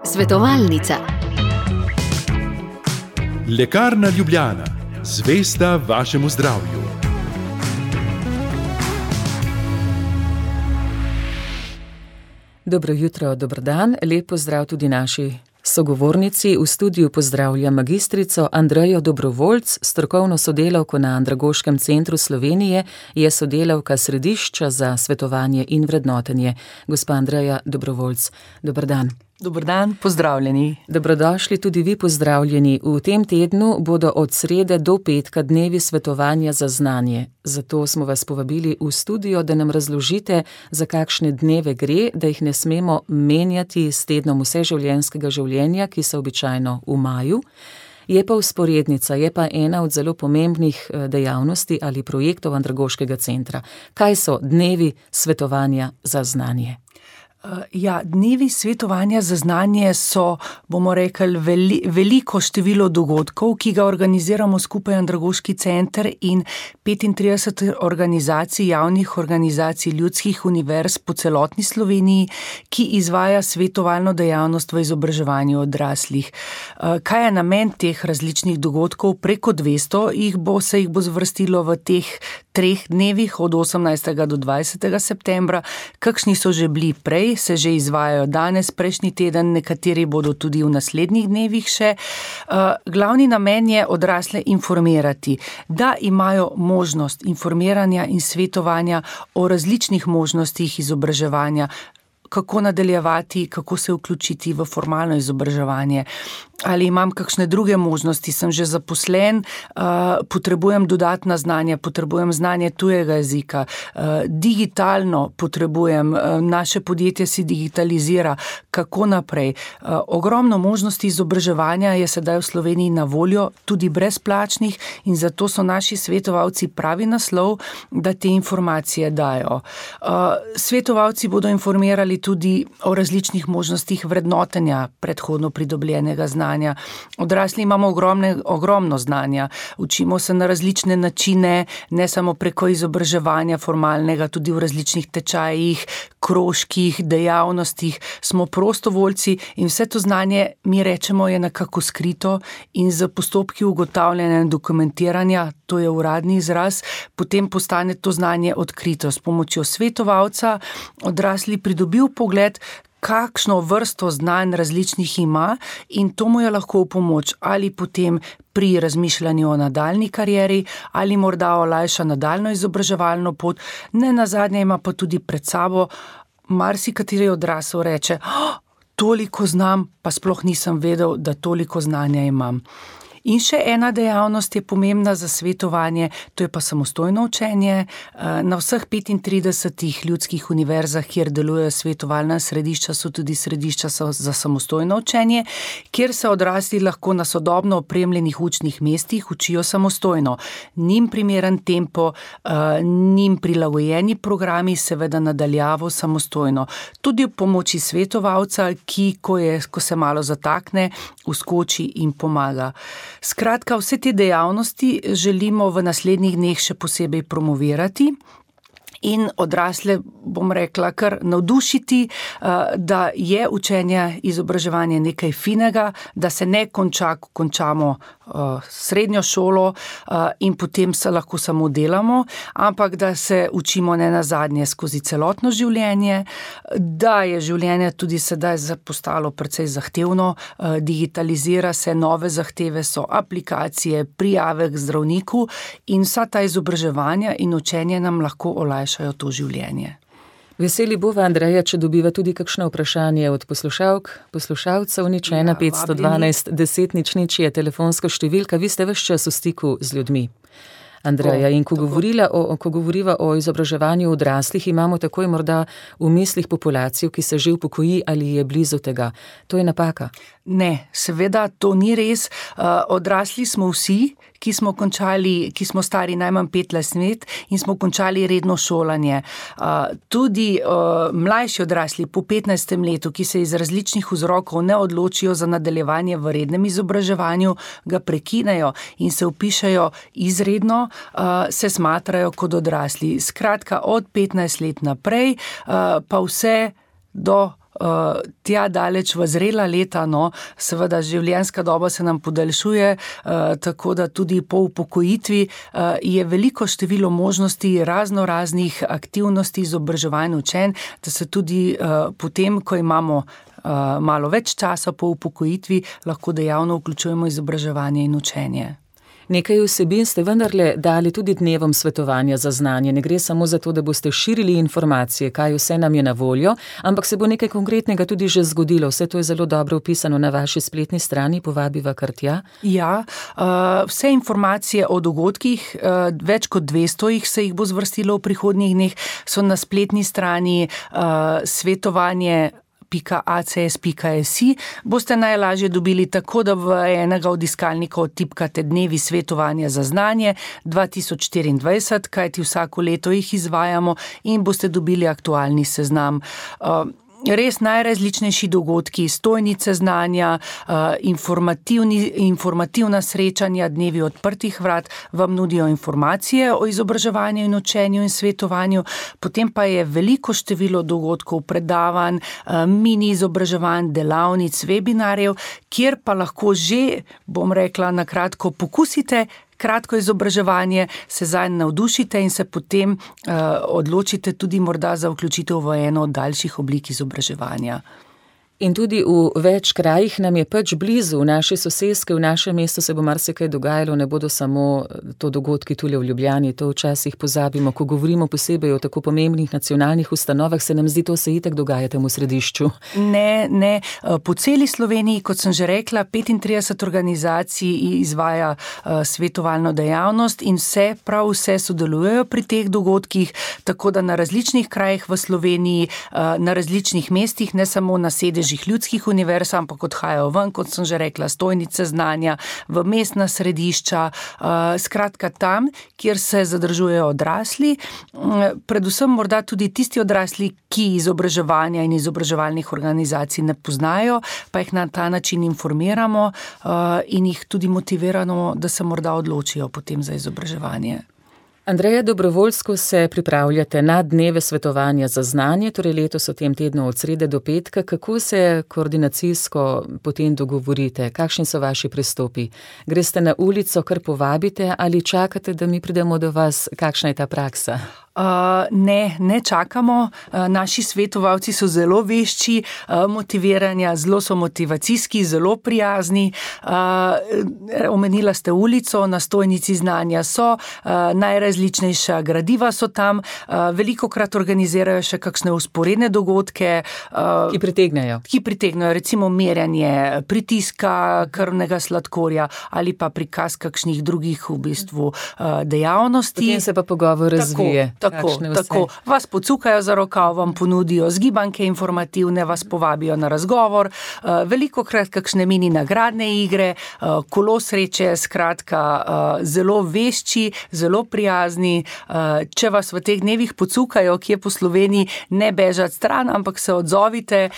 Svetovalnica. Lekarna Ljubljana, zvesta vašemu zdravju. Dobro jutro, dober dan, lep pozdrav tudi naši sogovornici. V studiu pozdravljam magistrico Andrejo Dobrovoljc, strokovno sodelavko na Andragoškem centru Slovenije, je sodelavka Središča za svetovanje in vrednotenje. Gospa Andreja Dobrovoljc, dober dan. Dober dan, pozdravljeni. Dobrodošli tudi vi, pozdravljeni. V tem tednu bodo od srede do petka dnevi svetovanja za znanje. Zato smo vas povabili v studio, da nam razložite, za kakšne dneve gre, da jih ne smemo menjati s tednom vseživljenjskega življenja, ki so običajno v maju. Je pa vzporednica, je pa ena od zelo pomembnih dejavnosti ali projektov Andragoškega centra. Kaj so dnevi svetovanja za znanje? Dnevi svetovanja za znanje so, bomo rekli, veliko število dogodkov, ki ga organiziramo skupaj Andragoški center in 35 organizacij, javnih organizacij ljudskih univerz po celotni Sloveniji, ki izvaja svetovalno dejavnost v izobraževanju odraslih. Kaj je namen teh različnih dogodkov? Preko 200 se jih bo zvrstilo v teh 3 dnevih od 18. do 20. septembra. Kakšni so že bili prej, se že izvajajo danes, prejšnji teden, nekateri bodo tudi v naslednjih dnevih še. Glavni namen je odrasle informirati, da imajo možnost informiranja in svetovanja o različnih možnostih izobraževanja, kako nadaljevati, kako se vključiti v formalno izobraževanje. Ali imam kakšne druge možnosti, sem že zaposlen, potrebujem dodatna znanja, potrebujem znanje tujega jezika, digitalno potrebujem, naše podjetje si digitalizira, kako naprej. Ogromno možnosti izobraževanja je sedaj v Sloveniji na voljo, tudi brezplačnih, in zato so naši svetovalci pravi naslov, da te informacije dajo. Svetovalci bodo informirali tudi o različnih možnostih vrednotenja predhodno pridobljenega znanja. Odrasli imamo ogromno znanja, učimo se na različne načine, ne samo preko izobraževanja formalnega, tudi v različnih tečajih, krožkih, dejavnostih, smo prostovoljci in vse to znanje, mi rečemo, je nekako skrito in z postopki ugotavljanja in dokumentiranja, to je uradni izraz, potem postane to znanje odkrito. S pomočjo svetovalca odrasli pridobil pogled, kakšno vrsto znanj različnih ima, in to mu je lahko v pomoč ali potem pri razmišljanju o nadaljni karieri ali morda olajša nadaljno izobraževalno pot. Ne nazadnje ima pa tudi pred sabo marsikateri odrasel reče, toliko znam, pa sploh nisem vedel, da toliko znanja imam. In še ena dejavnost je pomembna za svetovanje, to je pa samostojno učenje. Na vseh 35 ljudskih univerzah, kjer delujejo svetovalna središča, so tudi središča za samostojno učenje, kjer se odrasli lahko na sodobno opremljenih učnih mestih učijo samostojno. Njim primeren tempo, njim prilagojeni programi, seveda nadaljavo samostojno. Tudi ob pomoči svetovalca, ki, ko se malo zatakne, vskoči in pomaga. Skratka, vse te dejavnosti želimo v naslednjih dneh še posebej promovirati in odrasle, bom rekla, kar navdušiti, da je učenje, izobraževanje nekaj finega, da se ne konča, ko končamo srednjo šolo in potem se lahko samo delamo, ampak da se učimo ne nazadnje skozi celotno življenje, da je življenje tudi sedaj postalo precej zahtevno, digitalizira se, nove zahteve so aplikacije, prijave k zdravniku in vsa ta izobraževanja in učenje nam lahko olajšajo to življenje. Veseli bova, Andreja, če dobiva tudi kakšno vprašanje od poslušalcev, 1 512 10 00 je telefonska številka, vi ste ves čas v stiku z ljudmi. Andreja, in ko govoriva o izobraževanju odraslih, imamo takoj morda v mislih populacijo, ki se že upokoji ali je blizu tega. To je napaka. Ne, seveda to ni res. Odrasli smo vsi, ki smo stari najmanj 15 let in smo končali redno šolanje. Tudi mlajši odrasli po 15. letu, ki se iz različnih vzrokov ne odločijo za nadaljevanje v rednem izobraževanju, ga prekinejo in se vpišejo izredno, se smatrajo kot odrasli. Skratka, od 15 let naprej, pa vse do tja daleč v zrela leta, seveda življenjska doba se nam podaljšuje, tako da tudi po upokojitvi je veliko število možnosti raznih aktivnosti, izobraževanj, učenj, da se tudi potem, ko imamo malo več časa po upokojitvi, lahko dejavno vključujemo izobraževanje in učenje. Nekaj vsebin ste vendarle dali tudi dnevom svetovanja za znanje. Ne gre samo za to, da boste širili informacije, kaj vse nam je na voljo, ampak se bo nekaj konkretnega tudi že zgodilo. Vse to je zelo dobro opisano na vaši spletni strani, povabiva kar tja. Ja, vse informacije o dogodkih, več kot 200 se jih bo zvrstilo v prihodnjih dneh, so na spletni strani svetovanje.acs.si. Boste najlažje dobili tako, da v enega od iskalnikov tipkate dnevi svetovanja za znanje 2024, kajti vsako leto jih izvajamo in boste dobili aktualni seznam. Res najrazličnejši dogodki, stojnice znanja, informativna srečanja, dnevi odprtih vrat vam nudijo informacije o izobraževanju in učenju in svetovanju, potem pa je veliko število dogodkov, predavanj, mini izobraževanj, delavnic, webinarjev, kjer pa lahko že, bom rekla na kratko, pokusite kratko izobraževanje, se zanj navdušite in se potem odločite tudi morda za vključitev v eno od daljših oblik izobraževanja. In tudi v več krajih nam je pač blizu, v naši soseski, v našem mestu se bo marsikaj dogajalo, ne bodo samo to dogodki tule v Ljubljani, to včasih pozabimo, ko govorimo posebej o tako pomembnih nacionalnih ustanovah, se nam zdi, to se itak dogaja tam v središču. Ne, po celi Sloveniji, kot sem že rekla, 35 organizacij izvaja svetovalno dejavnost in prav vse sodelujejo pri teh dogodkih, tako da na različnih krajih v Sloveniji, na različnih mestih, ne samo na sedežih ljudskih univerz, ampak odhajajo ven, kot sem že rekla, stojnice znanja, v mestna središča, skratka tam, kjer se zadržujejo odrasli, predvsem morda tudi tisti odrasli, ki izobraževanja in izobraževalnih organizacij ne poznajo, pa jih na ta način informiramo in jih tudi motiviramo, da se morda odločijo potem za izobraževanje. Andreja, dobrovoljsko se pripravljate na dneve svetovanja za znanje, torej letos v tem tednu od srede do petka. Kako se koordinacijsko potem dogovorite? Kakšni so vaši pristopi? Greste na ulico, kar povabite ali čakate, da mi pridemo do vas? Kakšna je ta praksa? Ne čakamo. Naši svetovalci so zelo vešči motiviranja, zelo so motivacijski, zelo prijazni. Omenila ste ulico, na stojnici znanja so, najrazličnejša gradiva so tam, velikokrat organizirajo še kakšne vzporedne dogodke, ki pritegnejo, recimo merjanje pritiska, krvnega sladkorja ali pa prikaz kakšnih drugih v bistvu dejavnosti. Potem se pa pogovor razvije. Tako, vas pocukajo za rokav, vam ponudijo zgibanke informativne, vas povabijo na razgovor, velikokrat kakšne mini nagradne igre, kolo sreče, skratka, zelo vešči, zelo prijazni. Če vas v teh dnevih pocukajo, kje po Sloveniji, ne bežati stran, ampak se odzovite,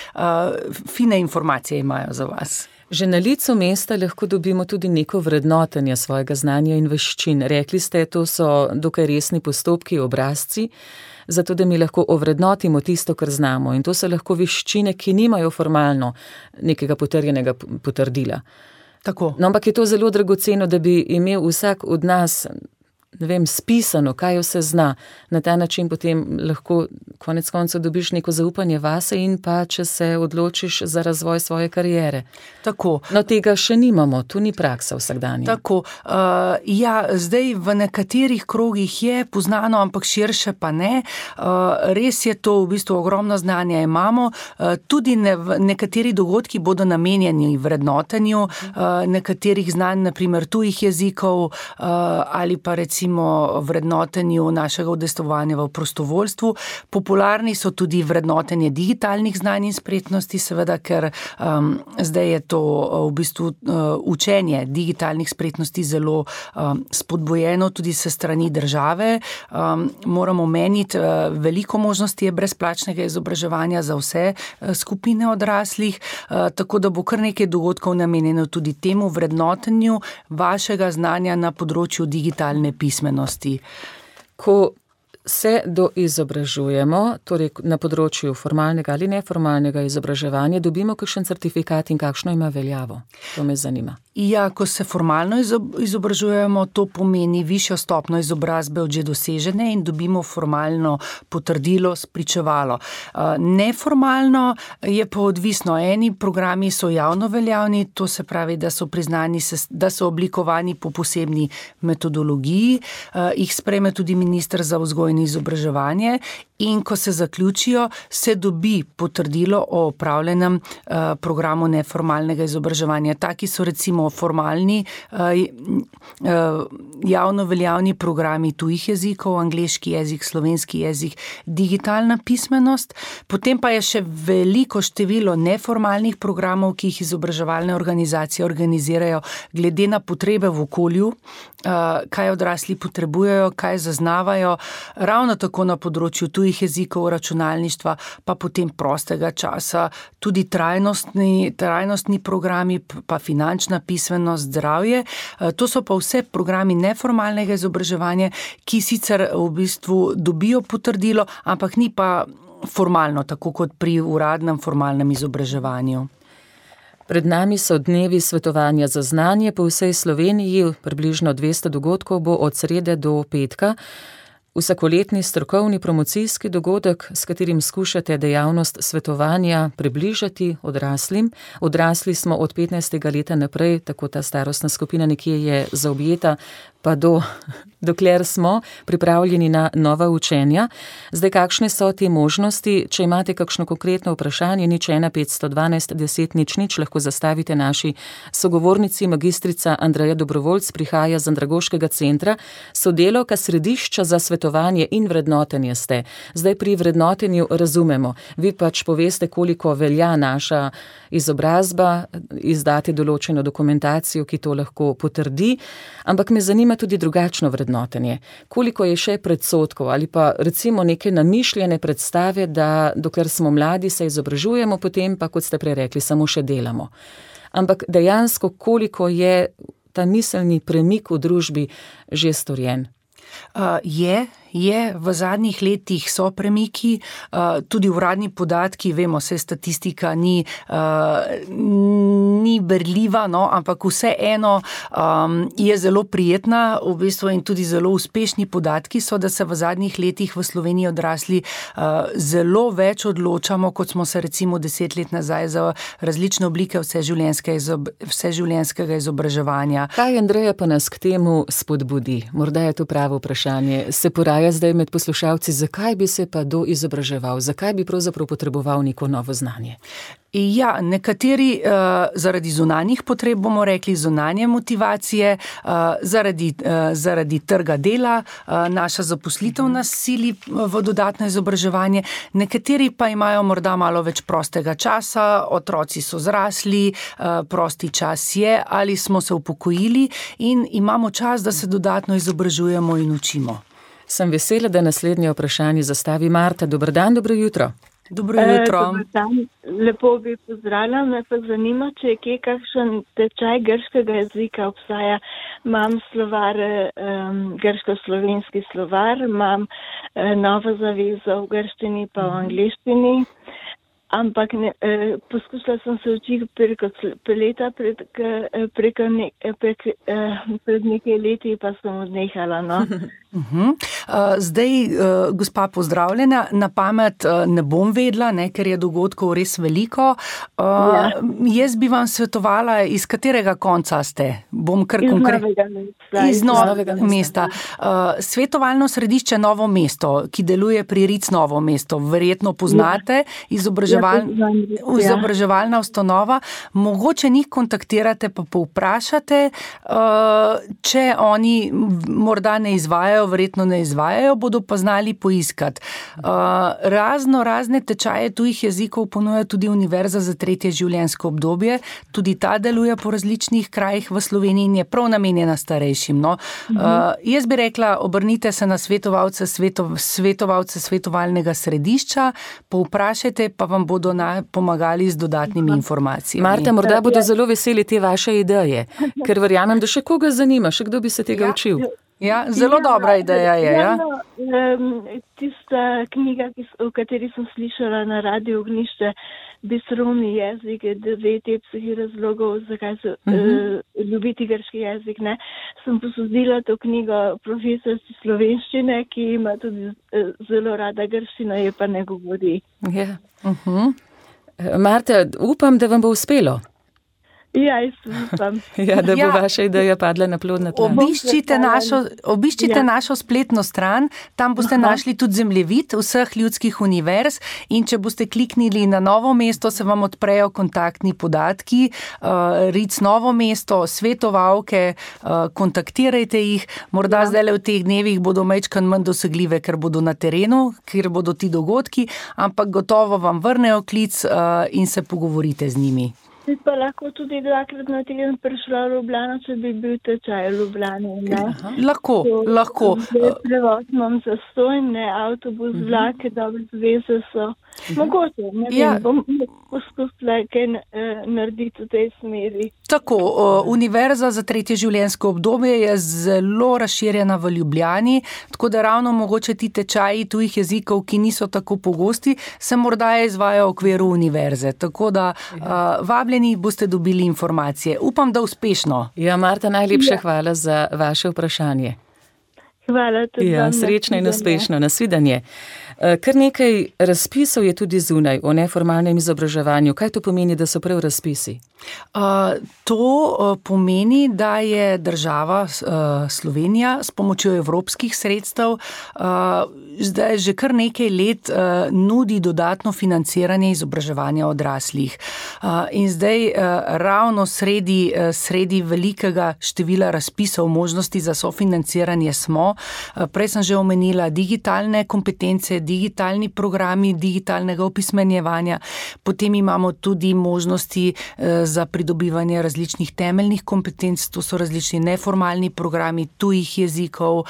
fine informacije imajo za vas. Že na licu mesta lahko dobimo tudi neko vrednotenje svojega znanja in veščin. Rekli ste, to so dokaj resni postopki, obrazci, zato da mi lahko ovrednotimo tisto, kar znamo. In to so lahko veščine, ki nimajo formalno nekega potrjenega potrdila. Tako. No, ampak je to zelo dragoceno, da bi imel vsak od nas, spisano, kaj vse zna. Na ta način potem lahko konec koncev dobiš neko zaupanje vase in pa, če se odločiš za razvoj svoje kariere. Tako. No, tega še nimamo, tu ni praksa vsakdanja. Tako. Zdaj v nekaterih krogih je poznano, ampak širše pa ne. Res je to, v bistvu ogromno znanja imamo. Tudi nekateri dogodki bodo namenjeni vrednotenju nekaterih znanj, naprimer tujih jezikov ali pa recimo vrednotenju našega udejstvovanja v prostovoljstvu. Popularni so tudi vrednotenje digitalnih znanj in spretnosti, seveda, ker zdaj je to v bistvu učenje digitalnih spretnosti zelo spodbojeno tudi se strani države. Moramo omeniti, veliko možnosti je brezplačnega izobraževanja za vse skupine odraslih, tako da bo kar nekaj dogodkov namenjeno tudi temu vrednotenju vašega znanja na področju digitalne pismenosti. Ko se doizobražujemo, torej na področju formalnega ali neformalnega izobraževanja, dobimo kakšen certifikat in kakšno ima veljavo? To me zanima. Ja, ko se formalno izobražujemo, to pomeni višjo stopnjo izobrazbe od že dosežene in dobimo formalno potrdilo, spričevalo. Neformalno je pa odvisno. Eni programi so javno veljavni, to se pravi, da so priznani, da so oblikovani po posebni metodologiji, jih sprejme tudi minister za vzgojo in izobraževanje in ko se zaključijo, se dobi potrdilo o opravljenem programu neformalnega izobraževanja. Taki so recimo formalni javno veljavni programi tujih jezikov, angleški jezik, slovenski jezik, digitalna pismenost. Potem pa je še veliko število neformalnih programov, ki jih izobraževalne organizacije organizirajo glede na potrebe v okolju, kaj odrasli potrebujejo, kaj zaznavajo, ravno tako na področju tujih jezikov, računalništva, pa potem prostega časa, tudi trajnostni programi, pa finančna pismenost, zdravje. To so pa vse programi neformalnega izobraževanja, ki sicer v bistvu dobijo potrdilo, ampak ni pa formalno, tako kot pri uradnem formalnem izobraževanju. Pred nami so dnevi svetovanja za znanje po vsej Sloveniji, približno 200 dogodkov bo od srede do petka. Vsakoletni strokovni promocijski dogodek, s katerim skušate dejavnost svetovanja približati odraslim. Odrasli smo od 15. leta naprej, tako ta starostna skupina nekje je zaobjeta, pa dokler smo pripravljeni na nova učenja. Zdaj, kakšne so te možnosti? Če imate kakšno konkretno vprašanje, 01 512 10 00, lahko zastavite naši sogovornici. Magistrica Andreja Dobrovoljc prihaja z Andragoškega centra, sodelavka središča za svetovanje in vrednotenje ste. Zdaj pri vrednotenju razumemo. Vi pač poveste, koliko velja naša izobrazba, izdate določeno dokumentacijo, ki to lahko potrdi, ampak me zanima tudi drugačno vrednotenje. Koliko je še predsodkov ali pa recimo neke namišljene predstave, da dokler smo mladi, se izobražujemo, potem pa, kot ste prej rekli, samo še delamo. Ampak dejansko, koliko je ta miselni premik v družbi že storjen? Je, v zadnjih letih so premiki, tudi uradni podatki, vemo, se statistika ni berljiva, no, ampak vseeno je zelo prijetna, v bistvu in tudi zelo uspešni podatki so, da se v zadnjih letih v Sloveniji odrasli zelo več odločamo, kot smo se recimo 10 let nazaj za različne oblike vseživljenjskega izobraževanja. Kaj, Andreja, pa nas k temu spodbudi? Morda je to pravo vprašanje. Se poraja zdaj med poslušalci, zakaj bi se pa izobraževal, zakaj bi pravzaprav potreboval neko novo znanje? Ja, nekateri zaradi zunanjih potreb, bomo rekli, zunanje motivacije, zaradi trga dela, naša zaposlitev nas sili v dodatno izobraževanje, nekateri pa imajo morda malo več prostega časa, otroci so zrasli, prosti čas je, ali smo se upokojili in imamo čas, da se dodatno izobražujemo in učimo. Sem vesela, da naslednje vprašanje zastavi Marta. Dober dan, dobro jutro. Dobro jutro. Dobar dan. Lepo bi pozdravljala, me pa zanima, če je kje kakšen tečaj grškega jezika obstaja. Imam slovar, grško-slovenski slovar, imam novo zavezo v grščini pa v angleščini. Ampak poskušala sem se učiti pred nekaj leti, pa sem odnehala. No. Zdaj, gospa, pozdravljena. Na pamet ne bom vedela, ker je dogodkov res veliko. Jaz bi vam svetovala, iz katerega konca ste? Bom kar iz Novega mesta. Svetovalno središče Novo mesto, ki deluje pri Ric Novo mesto, verjetno poznate, izobraževalna ustanova. Mogoče njih kontaktirate, pa povprašate, če oni morda ne izvajajo, verjetno ne izvajajo, bodo pa znali poiskati. Razne tečaje tujih jezikov ponuja tudi Univerza za tretje življenjsko obdobje. Tudi ta deluje po različnih krajih v Sloveniji in je prav namenjena starejšim. No. Jaz bi rekla, obrnite se na svetovalce svetovalnega središča, povprašajte, pa vam bodo pomagali z dodatnimi informacijami. Marta, morda bodo zelo veseli te vaše ideje, ker verjamem, da še koga zanima, še kdo bi se tega učil. Ja, zelo dobra ideja je, ja. Tista knjiga, o kateri sem slišala na Radiu Ognjišče, Bisrovni jezik, 9 epskih razlogov, zakaj se ljubiti grški jezik, ne, sem posodila to knjigo profesorici slovenščine, ki ima tudi zelo rada grščino, je pa ne govori. Ja. Marta, upam, da vam bo uspelo. Ja, jaz upam. Ja, da bo vaša ideja padla na plodna tla. Obiščite našo spletno stran, tam boste našli tudi zemljevid vseh ljudskih univerz in če boste kliknili na Novo mesto, se vam odprejo kontaktni podatki, RIC Novo mesto, svetovalke, kontaktirajte jih, morda zdaj v teh dnevih bodo majčkeno manj dosegljive, ker bodo na terenu, ker bodo ti dogodki, ampak gotovo vam vrnejo klic in se pogovorite z njimi. Bi pa lahko tudi 2-krat na teden prišla v Ljubljano, če bi bil tečaj v Ljubljani. Lahko. Prevoz imam zastonj, ne, avtobus, vlake, dobre zveze so. Mogoče, ne vem, bom poskusila kaj narediti v tej smeri. Tako, Univerza za tretje življenjsko obdobje je zelo razširjena v Ljubljani, tako da ravno mogoče ti tečaji tujih jezikov, ki niso tako pogosti, se morda izvajajo v okviru univerze. Tako da vabljeni boste dobili informacije. Upam, da uspešno. Ja, Marta, najlepša hvala za vaše vprašanje. Hvala tudi vam. Srečno in uspešno. Nasvidenje. Kar nekaj razpisov je tudi zunaj o neformalnem izobraževanju. Kaj to pomeni, da so prav razpisi? To pomeni, da je država Slovenija s pomočjo evropskih sredstev zdaj že kar nekaj let nudi dodatno financiranje izobraževanja odraslih. In zdaj ravno sredi velikega števila razpisov možnosti za sofinanciranje smo. Prej sem že omenila digitalne kompetence, digitalni programi digitalnega opismenjevanja, potem imamo tudi možnosti za pridobivanje različnih temeljnih kompetenc, to so različni neformalni programi tujih jezikov,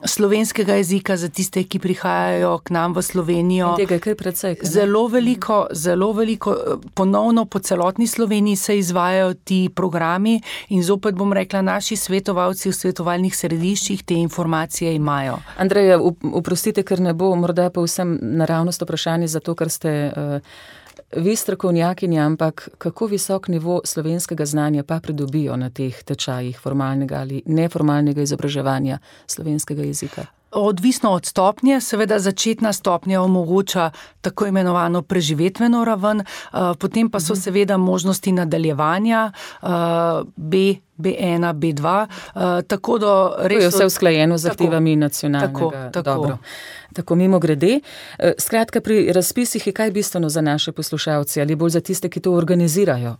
slovenskega jezika za tiste, ki prihajajo k nam v Slovenijo. Tega je kaj precej. Zelo veliko, ponovno po celotni Sloveniji se izvajajo ti programi in zopet bom rekla, naši svetovalci v svetovalnih središčih te informacije imajo. Andreja, oprostite, ker ne bo morda pa vsem naravnost vprašanje za to, ker ste vi strokovnjakinja, ampak kako visok nivo slovenskega znanja pa pridobijo na teh tečajih formalnega ali neformalnega izobraževanja slovenskega jezika? Odvisno od stopnje, seveda začetna stopnja omogoča tako imenovano preživetveno raven, potem pa so seveda možnosti nadaljevanja B1, B2, tako da res... To je vse usklajeno z zahtevami nacionalnega. Dobro. Tako mimo grede. Skratka, pri razpisih je kaj bistveno za naše poslušalce ali bolj za tiste, ki to organizirajo?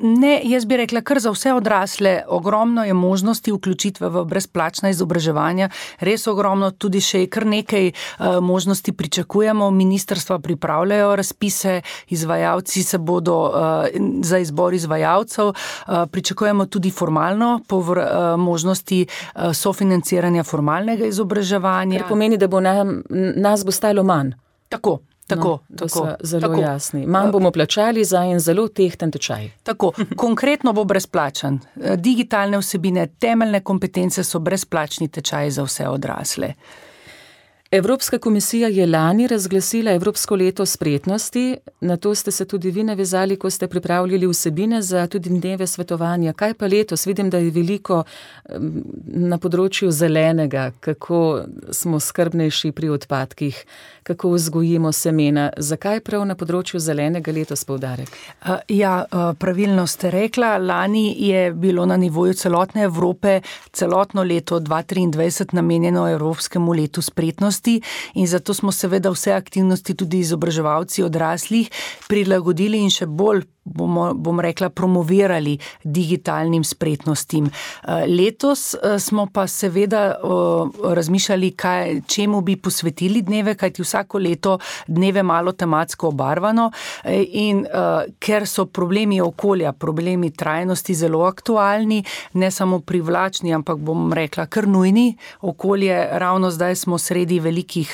Ne, jaz bi rekla, kar za vse odrasle, ogromno je možnosti vključitve v brezplačna izobraževanja, res ogromno, tudi še kar nekaj možnosti pričakujemo, ministrstva pripravljajo razpise, izvajalci se bodo za izbor izvajalcev, pričakujemo tudi formalno možnosti sofinanciranja formalnega izobraževanja. Kar pomeni, da bo nas bo stalo manj. Tako. To so zelo jasni. Manj bomo plačali za en zelo tehten tečaj. Tako, konkretno bo brezplačen. Digitalne vsebine, temeljne kompetence so brezplačni tečaji za vse odrasle. Evropska komisija je lani razglasila Evropsko leto spretnosti, na to ste se tudi vi navezali, ko ste pripravljali vsebine za tudi dneve svetovanja. Kaj pa letos? Vidim, da je veliko na področju zelenega, kako smo skrbnejši pri odpadkih, kako vzgojimo semena. Zakaj prav na področju zelenega letos poudarek? Pravilno ste rekla, lani je bilo na nivoju celotne Evrope celotno leto 2023 namenjeno Evropskemu letu spretnosti. In zato smo seveda vse aktivnosti tudi izobraževalci odraslih prilagodili in še bolj bom rekla, promovirali digitalnim spretnostim. Letos smo pa seveda razmišljali, čemu bi posvetili dneve, kajti vsako leto dneve malo tematsko obarvano in ker so problemi okolja, problemi trajnosti zelo aktualni, ne samo privlačni, ampak bom rekla kar nujni. Okolje, ravno zdaj smo sredi velikih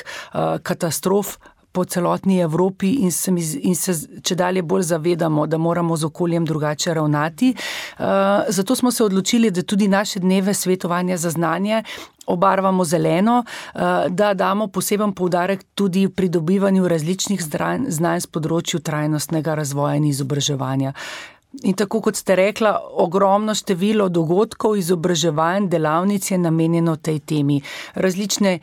katastrof, po celotni Evropi in se čedalje bolj zavedamo, da moramo z okoljem drugače ravnati. Zato smo se odločili, da tudi naše dneve svetovanja za znanje obarvamo zeleno, da damo poseben poudarek tudi pri dobivanju različnih znanj z področju trajnostnega razvoja in izobraževanja. In tako kot ste rekla, ogromno število dogodkov, izobraževanj, delavnic je namenjeno tej temi. Različne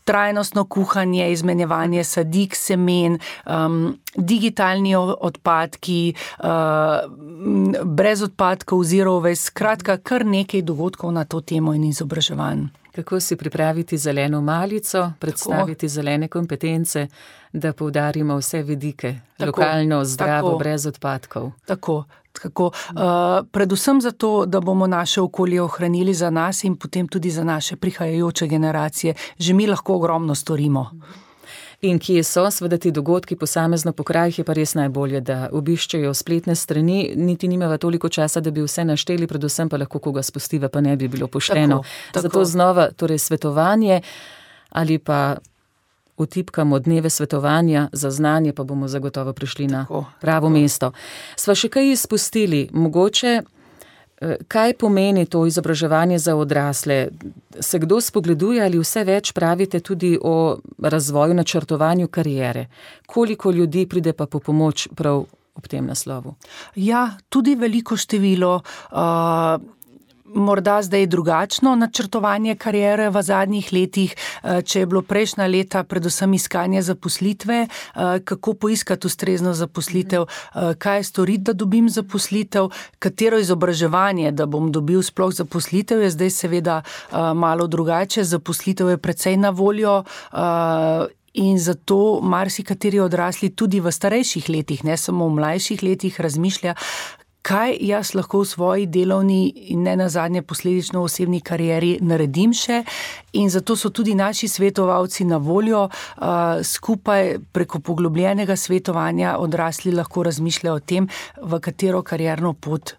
trajnostno kuhanje, izmenjevanje sadik, semen, digitalni odpadki, brez odpadkov, zero waste, skratka kar nekaj dogodkov na to temo in izobraževanj. Kako si pripraviti zeleno malico, predstaviti zelene kompetence, da poudarimo vse vidike, lokalno, zdravo, brez odpadkov. Tako. Predvsem zato, da bomo naše okolje ohranili za nas in potem tudi za naše prihajajoče generacije. Že mi lahko ogromno storimo. In kje so seveda ti dogodki posamezno po krajih, je pa res najbolje, da obiščejo spletne strani, niti nimava toliko časa, da bi vse našteli, predvsem pa lahko koga spustiva, pa ne bi bilo pošteno. Tako. Zato znova, torej svetovanje ali pa vtipkamo dneve svetovanja za znanje, pa bomo zagotovo prišli na pravo mesto. Sva še kaj izpustili, mogoče, kaj pomeni to izobraževanje za odrasle? Se kdo spogleduje ali vse več pravite tudi o razvoju, načrtovanju kariere? Koliko ljudi pride pa po pomoč prav ob tem naslovu? Ja, tudi veliko število. Morda zdaj drugačno načrtovanje kariere v zadnjih letih, če je bilo prejšnja leta predvsem iskanje zaposlitve, kako poiskati ustrezno zaposlitev, kaj storiti, da dobim zaposlitev, katero izobraževanje, da bom dobil sploh zaposlitev, je zdaj seveda malo drugače, zaposlitev je precej na voljo in zato marsikateri odrasli tudi v starejših letih, ne samo v mlajših letih razmišlja, kaj jaz lahko v svoji delovni in ne nazadnje posledično osebni karieri naredim še, in zato so tudi naši svetovalci na voljo. Skupaj preko poglobljenega svetovanja odrasli lahko razmišljajo o tem, v katero karierno pot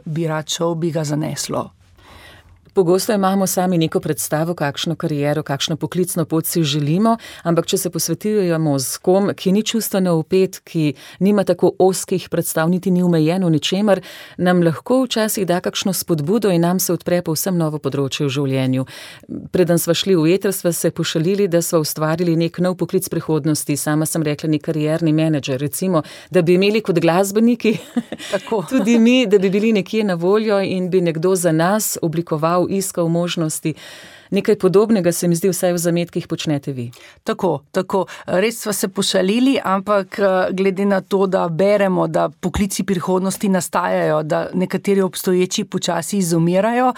bi rad šel, bi ga zaneslo. Pogosto imamo sami neko predstavo, kakšno kariero, kakšno poklicno pot si želimo, ampak če se posvetujemo z kom, ki ni čustveno vpet, ki nima tako ozkih predstav, niti ni omejen v ničemer, nam lahko včasih da kakšno spodbudo in nam se odpre povsem novo področje v življenju. Preden sva šli v eter, sva se pošalili, da sva ustvarili nek nov poklic prihodnosti. Sama sem rekla, nek karierni menedžer, recimo, da bi imeli kot glasbeniki tudi mi, da bi bili nekje na voljo in bi nekdo za nas oblikoval, iskal možnosti. Nekaj podobnega se mi zdi, vsaj v zametkih počnete vi. Tako. Res sva se pošalili, ampak glede na to, da beremo, da poklici prihodnosti nastajajo, da nekateri obstoječi počasi izumirajo,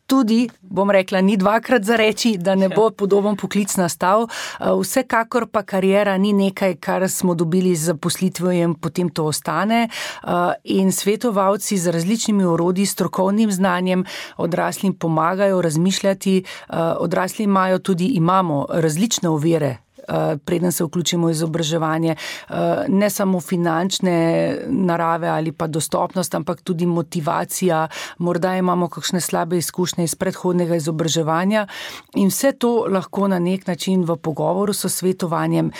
tudi, bom rekla, ni dvakrat za reči, da ne bo podoben poklic nastal. Vsekakor pa kariera ni nekaj, kar smo dobili z zaposlitvijo in potem to ostane. In svetovalci z različnimi orodji, strokovnim znanjem odraslim pomagajo razmišljati. Odrasli imamo različne ovire, preden se vključimo v izobraževanje, ne samo finančne narave ali pa dostopnost, ampak tudi motivacija, morda imamo kakšne slabe izkušnje iz predhodnega izobraževanja in vse to lahko na nek način v pogovoru s svetovanjem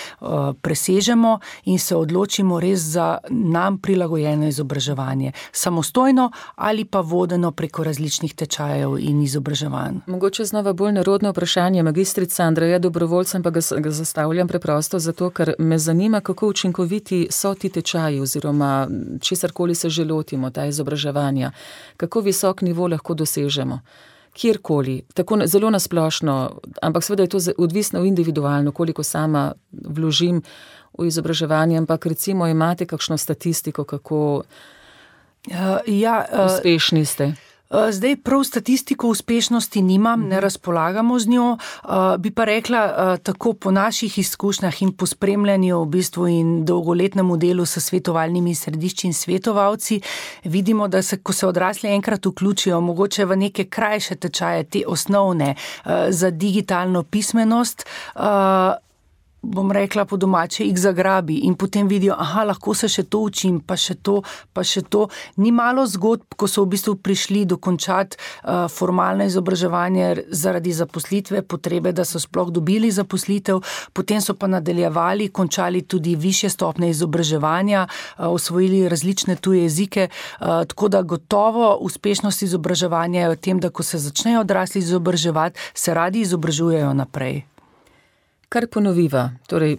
presežemo in se odločimo res za nam prilagojeno izobraževanje, samostojno ali pa vodeno preko različnih tečajev in izobraževanj. Mogoče znova bolj narodno vprašanje, magistrica Andreja Dobrovoljcem, pa ga zastavljam preprosto zato, ker me zanima, kako učinkoviti so ti tečaji oziroma česarkoli se že lotimo, ta izobraževanja. Kako visok nivo lahko dosežemo? Kjerkoli, tako zelo nasplošno, ampak seveda je to odvisno individualno, koliko sama vložim v izobraževanje, ampak recimo imate kakšno statistiko, kako uspešni ste? Zdaj prav statistiko uspešnosti nimam, ne razpolagamo z njo, bi pa rekla tako po naših izkušnjah in po spremljanju v bistvu in dolgoletnemu delu s svetovalnimi središči in svetovalci, vidimo, da ko se odrasli enkrat vključijo, mogoče v neke krajše tečaje, te osnovne za digitalno pismenost, bom rekla po domače, jih zagrabi in potem vidijo, lahko se še to učim, pa še to. Ni malo zgodb, ko so v bistvu prišli dokončati formalno izobraževanje zaradi zaposlitve, potrebe, da so sploh dobili zaposlitev, potem so pa nadaljevali, končali tudi višje stopnje izobraževanja, osvojili različne tuje jezike, tako da gotovo uspešnost izobraževanja je v tem, da ko se začnejo odrasli izobraževati, se radi izobražujejo naprej. Kar ponoviva, torej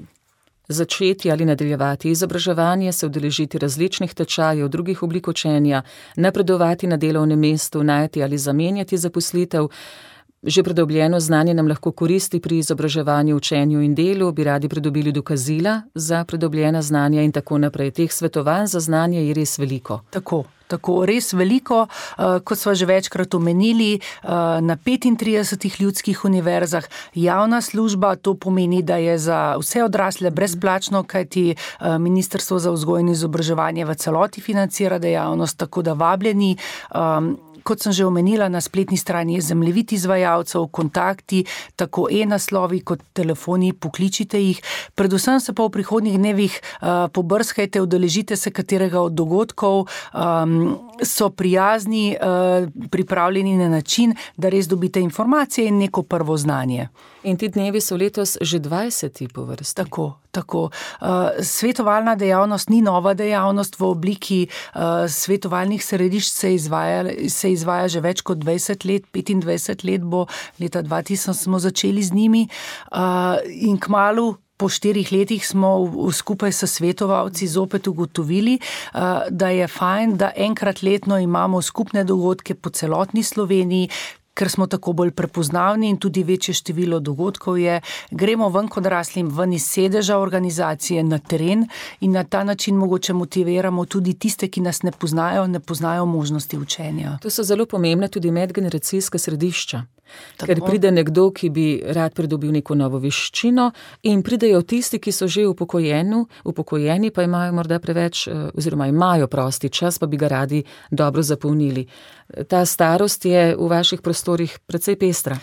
začeti ali nadaljevati izobraževanje, se udeležiti različnih tečajev, drugih oblik učenja, napredovati na delovnem mestu, najti ali zamenjati zaposlitev. Že pridobljeno znanje nam lahko koristi pri izobraževanju, učenju in delu, bi radi pridobili dokazila za pridobljena znanja in tako naprej. Teh svetovanj za znanje je res veliko. Tako, res veliko, kot sva že večkrat omenili, na 35 ljudskih univerzah javna služba, to pomeni, da je za vse odrasle brezplačno, kajti Ministrstvo za vzgojo in izobraževanje v celoti financira dejavnost, tako da vabljeni. Kot sem že omenila, na spletni strani je zemljevid izvajalcev, kontakti, tako e-naslovi kot telefoni, pokličite jih. Predvsem se pa v prihodnjih dnevih pobrskajte, udeležite se katerega od dogodkov, so prijazni, pripravljeni na način, da res dobite informacije in neko prvo znanje. In ti dnevi so letos že 20. po vrsti. Tako. Svetovalna dejavnost ni nova dejavnost v obliki svetovalnih središč, se izvaja že več kot 20 let, 25 let bo, leta 2000 smo začeli z njimi in kmalu po 4 letih smo skupaj s svetovalci zopet ugotovili, da je fajn, da enkrat letno imamo skupne dogodke po celotni Sloveniji, ker smo tako bolj prepoznavni in tudi večje število dogodkov je. Gremo ven kot odraslim, ven iz sedeža organizacije na teren in na ta način mogoče motiviramo tudi tiste, ki nas ne poznajo možnosti učenja. To so zelo pomembne tudi medgeneracijska središča. Ker pride nekdo, ki bi rad pridobil neko novo veščino in pridejo tisti, ki so že upokojeni, pa imajo morda preveč, oziroma imajo prosti čas, pa bi ga radi dobro zapolnili. Ta starost je v vaših prostorih precej pestra.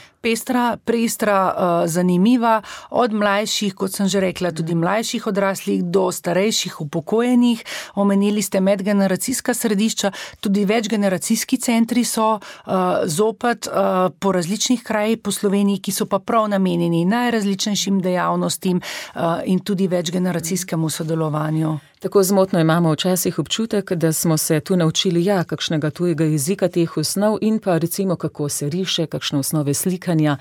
Pestra, zanimiva, od mlajših, kot sem že rekla, tudi mlajših odraslih do starejših upokojenih. Omenili ste medgeneracijska središča, tudi večgeneracijski centri so zopet po različnih krajih po Sloveniji, ki so pa prav namenjeni najrazličnejšim dejavnostim in tudi večgeneracijskemu sodelovanju. Tako zmotno imamo včasih občutek, da smo se tu naučili kakšnega tujega jezika, teh osnov in pa recimo kako se riše, kakšne osnove slikanja,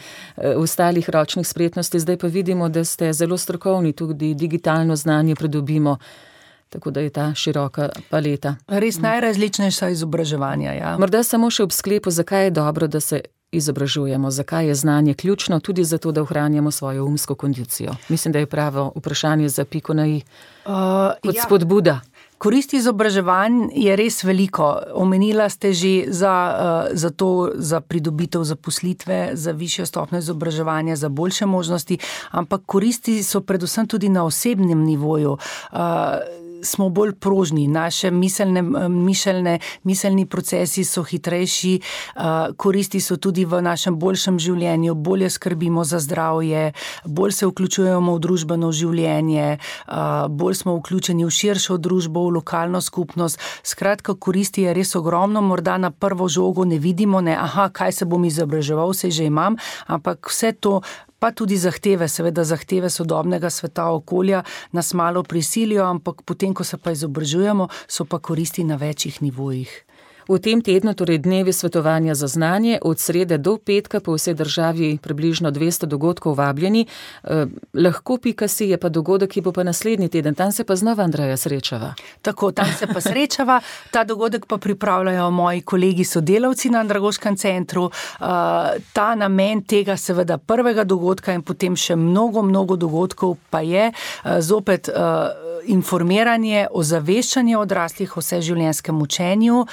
ostalih ročnih spretnosti. Zdaj pa vidimo, da ste zelo strokovni, tudi digitalno znanje pridobimo. Tako da je ta široka paleta. Res najrazličnejša izobraževanja, ja. Morda samo še ob sklepu, zakaj je dobro, da se izobražujemo, zakaj je znanje ključno, tudi zato, da ohranjamo svojo umsko kondicijo. Mislim, da je pravo vprašanje za piko na i kot spodbuda. Koristi izobraževanj je res veliko. Omenila ste že za pridobitev zaposlitve, za višjo stopnjo izobraževanja, za boljše možnosti, ampak koristi so predvsem tudi na osebnem nivoju. Smo bolj prožni, naše miselni procesi so hitrejši, koristi so tudi v našem boljšem življenju, bolje skrbimo za zdravje, bolj se vključujemo v družbeno življenje, bolj smo vključeni v širšo družbo, v lokalno skupnost. Skratka, koristi je res ogromno, morda na prvo žogo ne vidimo, kaj se bom izobraževal, saj že imam, ampak vse to pa tudi zahteve sodobnega sveta okolja nas malo prisilijo, ampak potem, ko se pa izobražujemo, so pa koristi na večjih nivojih. V tem tednu, torej dnevi svetovanja za znanje, od srede do petka po vsej državi približno 200 dogodkov vabljeni. Lahko.si je pa dogodek, ki bo pa naslednji teden. Tam se pa znova, Andreja, srečava. Tako, tam se pa srečava. Ta dogodek pa pripravljajo moji kolegi sodelavci na Andragoškem centru. Ta namen tega seveda prvega dogodka in potem še mnogo dogodkov pa je zopet informiranje, ozaveščanje odraslih o vseživljenjskem učenju,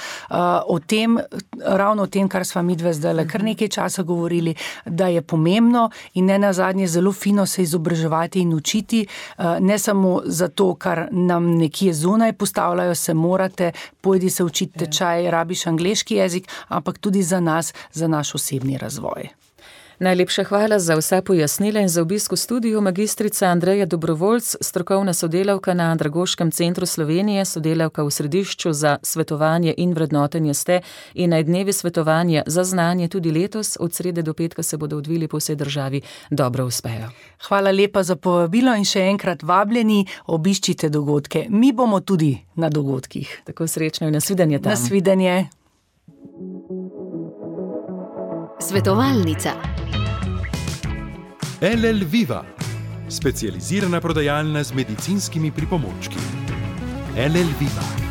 ravno o tem, kar sva midve zdajle kar nekaj časa govorili, da je pomembno in ne nazadnje zelo fino se izobraževati in učiti, ne samo zato, kar nam nekje zunaj postavljajo, se morate, pojdi se učiti tečaj, rabiš angleški jezik, ampak tudi za nas, za naš osebni razvoj. Najlepša hvala za vsa pojasnila in za obisk v studiu magistrica Andreja Dobrovoljc, strokovna sodelavka na Andragoškem centru Slovenije, sodelavka v Središču za svetovanje in vrednotenje ste in naj dnevi svetovanja za znanje tudi letos, od srede do petka se bodo odvili po vsej državi, dobro uspejo. Hvala lepa za povabilo in še enkrat vabljeni, obiščite dogodke. Mi bomo tudi na dogodkih. Tako srečno in nasvidenje tam. Nasvidenje. Svetovalnica. LL Viva, specializirana prodajalna z medicinskimi pripomočki. LL Viva.